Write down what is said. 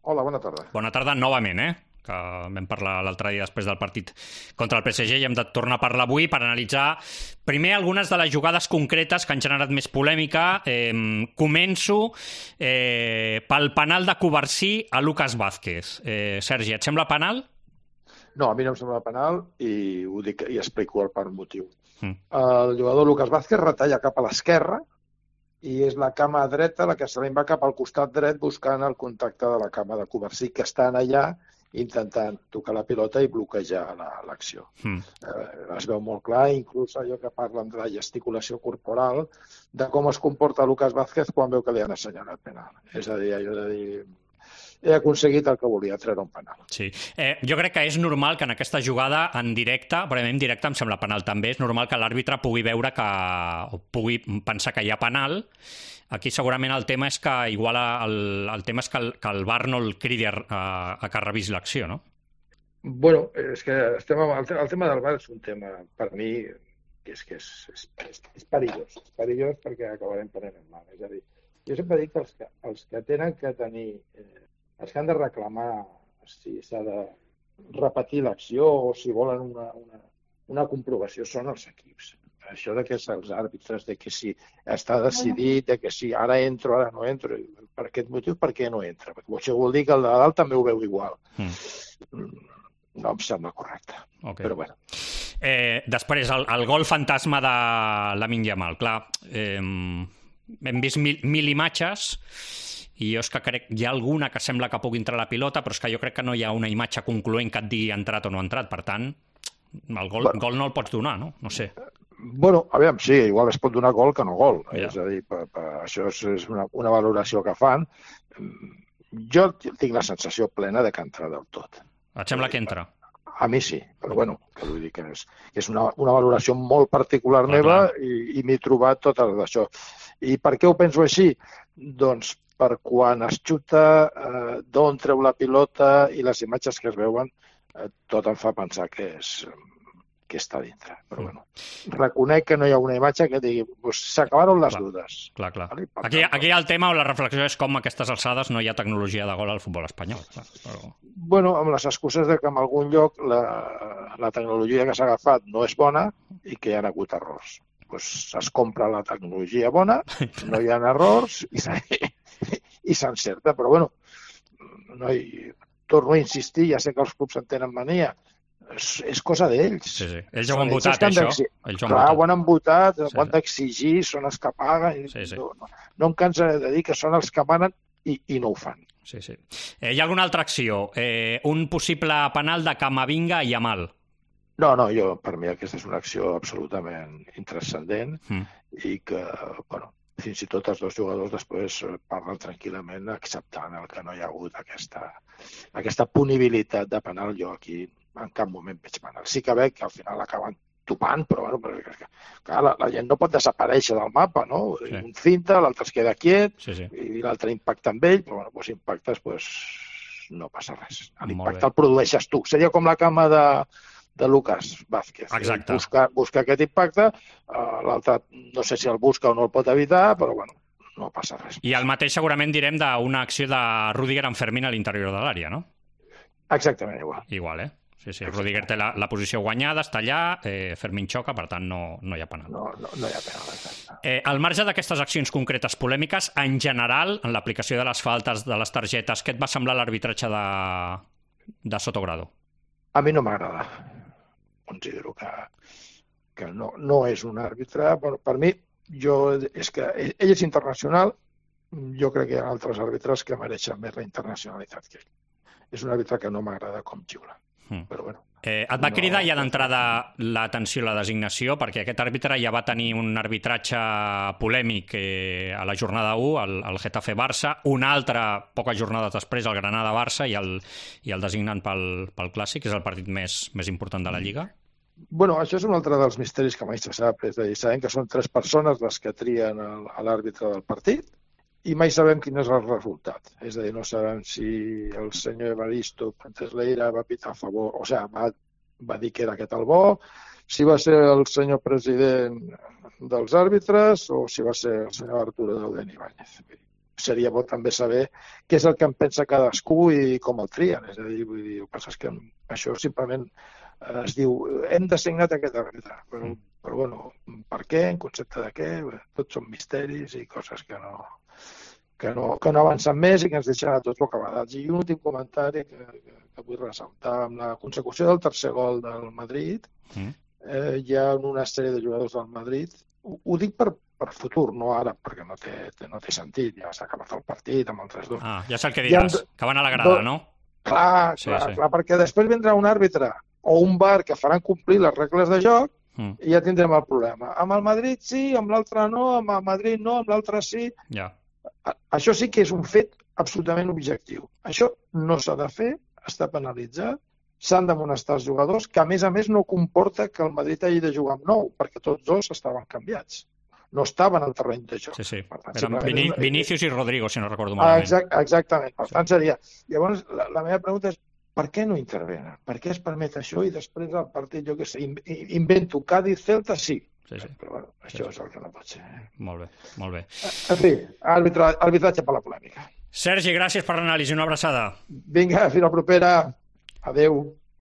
Hola, bona tarda. Bona tarda novament, que vam parlar l'altre dia després del partit contra el PSG i hem de tornar a parlar avui per analitzar primer algunes de les jugades concretes que han generat més polèmica. Començo pel penal de Covarsí a Lucas Vázquez. Sergi, et sembla penal? No, a mi no em sembla penal i ho dic i explico el per motiu. El jugador Lucas Vázquez retalla cap a l'esquerra i és la cama dreta la que se li va cap al costat dret buscant el contacte de la cama de Covarsí, que estan allà intentant tocar la pilota i bloquejar l'acció. Es veu molt clar, inclús allò que parlen de la gesticulació corporal, de com es comporta Lucas Vázquez quan veu que li han assenyalat penal. És a dir, allò de dir... He aconseguit el que volia, treure un penal. Sí. Jo crec que és normal que en aquesta jugada en directe, però en directe em sembla penal també, és normal que l'àrbitre pugui veure o pugui pensar que hi ha penal. Aquí segurament el tema és que igual el tema és que el VAR no el cridi a que revisi l'acció, no? Bueno, és que el tema del VAR és un tema, per mi, que és perillós. És perillós perquè acabarem prenent mal. És a dir, jo sempre dic que els que tenen que tenir... els que han de reclamar si s'ha de repetir l'acció o si volen una comprovació són els equips. Això de que els àrbitres, de que si està decidit, de que si ara entro, ara no entro, per aquest motiu, per què no entra? Perquè això vol dir que el de dalt també ho veu igual. No em sembla correcte, però bueno. Després, el gol fantasma de Lamine Yamal. Clar, hem vist mil imatges i jo és que crec hi ha alguna que sembla que pugui entrar la pilota, però és que jo crec que no hi ha una imatge concloent que et digui entrat o no entrat. Per tant, el gol no el pots donar, no? No sé. Bueno, aviam, sí, igual es pot donar gol que no gol. És a dir, això és una valoració que fan. Jo tinc la sensació plena de que entra del tot. Et sembla que entra? A mi sí, però bueno, que vull dir que és una valoració molt particular meva i m'he trobat tot d'això. I per què ho penso així? Doncs per quan es xuta, d'on treu la pilota i les imatges que es veuen, tot em fa pensar que està dintre. Però bueno, reconec que no hi ha una imatge que digui s'acabaron les dudes. Clar. Aquí el tema o la reflexió és com a aquestes alçades no hi ha tecnologia de gol al futbol espanyol. Bueno, amb les excuses de que en algun lloc la tecnologia que s'ha agafat no és bona i que hi ha hagut errors. Es compra la tecnologia bona, no hi ha errors i s'encerta, però bueno, torno a insistir, ja sé que els clubs en tenen mania, és cosa d'ells. Sí. Ells ho han votat, això. Clar, ho han votat, ho han d'exigir, són els que paguen. No em cansa de dir que són els que manen i no ho fan. Sí. Hi ha alguna altra acció? Un possible penal de Camavinga i Yamal. No, per mi aquesta és una acció absolutament intranscendent i que, bueno, fins i tot els dos jugadors després parlen tranquil·lament acceptant el que no hi ha hagut aquesta punibilitat de penal. Jo aquí en cap moment veig penal. Sí que veig que al final acaben topant, però bueno, clar, la gent no pot desaparèixer del mapa, no? Un cinta, l'altre es queda quiet i l'altre impacta amb ell, però bueno, impactes, no passa res. L'impacte el produeixes tu. Seria com la cama de Lucas Vázquez. Exacte. Buscar aquest impacte, l'altre no sé si el busca o no el pot evitar, però bueno, no passa res. I el mateix segurament direm d'una acció de Rüdiger en Fermín a l'interior de l'àrea, no? Exactament igual. Igual, Sí. Rüdiger té la posició guanyada, està allà, Fermín xoca, per tant no hi ha penal. No hi ha penal, exacte. Al marge d'aquestes accions concretes polèmiques, en general, en l'aplicació de les faltes, de les targetes, què et va semblar l'arbitratge de Sotogrado? A mi no m'agrada. Considero que no és un àrbitre. Per mi, és que ell és internacional, jo crec que hi ha altres àrbitres que mereixen més la internacionalitat que ell. És un àrbitre que no m'agrada com xiula. Però bueno. Et va cridar ja d'entrada l'atenció a la designació, perquè aquest àrbitre ja va tenir un arbitratge polèmic a la jornada 1, al Getafe-Barça, una altra poques jornades després, el Granada-Barça, i el designen pel Clàssic, que és el partit més important de la Lliga? Bueno, això és un altre dels misteris que mai se sap. És a dir, sabem que són 3 persones les que trien l'àrbitre del partit i mai sabem quin és el resultat. És a dir, no sabem si el senyor Evaristo Pantesleira va pitar a favor, o sigui, va dir que era aquest el bo, si va ser el senyor president dels àrbitres o si va ser el senyor Arturo Dauden Ibáñez. seria bo també saber què és el que en pensa cadascú i com el trien. És a dir, vull dir, el que passa és que això simplement es diu hem designat aquest àrbitre, però bueno, per què, en concepte de què, tots són misteris i coses que no avancen més i que ens deixen a tots bocabadats. I un últim comentari que vull ressaltar, amb la consecució del tercer gol del Madrid, hi ha una sèrie de jugadors del Madrid, ho dic per futur, no ara, perquè no té sentit, ja s'ha acabat el partit amb el 3-2. Ja sé el que diràs, que van a la grada, no? Clar, perquè després vindrà un àrbitre o un VAR que faran complir les regles de joc i ja tindrem el problema. Amb el Madrid sí, amb l'altre no, amb el Madrid no, amb l'altre sí. Ja. Això sí que és un fet absolutament objectiu. Això no s'ha de fer, està penalitzat, s'han d'amonestar els jugadors, que a més no comporta que el Madrid hagi de jugar amb 9, perquè tots dos estaven canviats. No estaven al terreny de joc. Sí. Per tant, eren Vinícius i Rodrigo, si no recordo malament. Exactament. Per tant, seria... Llavors, la meva pregunta és per què no intervenen? Per què es permet això i després el partit, jo què sé, invento Cádiz-Celta, sí. Però bueno, això és el que no pot ser. Molt bé. En fi, arbitratge per la polèmica. Sergi, gràcies per l'anàlisi. Una abraçada. Vinga, fins la propera. Adéu.